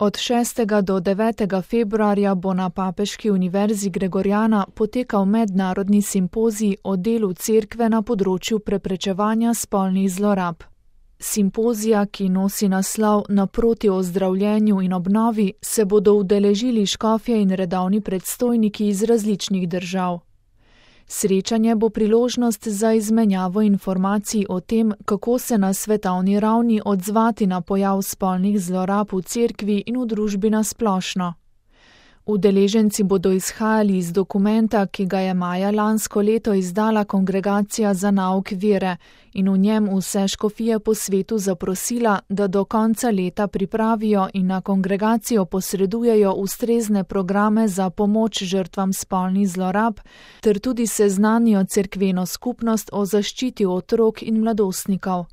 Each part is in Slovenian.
Od 6. do 9. februarja bo na Papeški univerzi Gregoriana potekal mednarodni simpozij o delu cerkve na področju preprečevanja spolnih zlorab. Simpozija, ki nosi naslov Naproti ozdravljenju in obnovi, se bodo udeležili škofje in redovni predstojniki iz različnih držav. Srečanje bo priložnost za izmenjavo informacij o tem, kako se na svetovni ravni odzvati na pojav spolnih zlorab v cerkvi in v družbi nasplošno. Udeleženci bodo izhajali iz dokumenta, ki ga je maja lansko leto izdala Kongregacija za nauk vere in v njem vse škofije po svetu zaprosila, da do konca leta pripravijo in na kongregacijo posredujejo ustrezne programe za pomoč žrtvam spolnih zlorab ter tudi seznanijo cerkveno skupnost o zaščiti otrok in mladostnikov.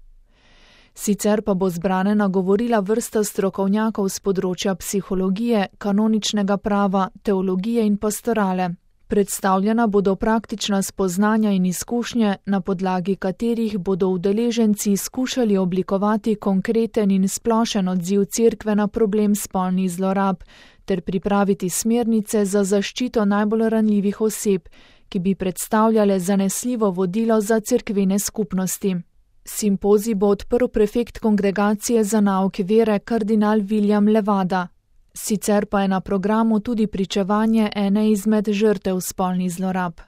Sicer pa bo zbrane nagovorila vrsta strokovnjakov z področja psihologije, kanoničnega prava, teologije in pastorale. Predstavljena bodo praktična spoznanja in izkušnje, na podlagi katerih bodo udeleženci skušali oblikovati konkreten in splošen odziv cerkve na problem spolnih zlorab ter pripraviti smernice za zaščito najbolj ranljivih oseb, ki bi predstavljale zanesljivo vodilo za cerkvene skupnosti. Simpozij bo odprl prefekt Kongregacije za nauk vere kardinal William Levada. Sicer pa je na programu tudi pričevanje ene izmed žrtev spolnih zlorab.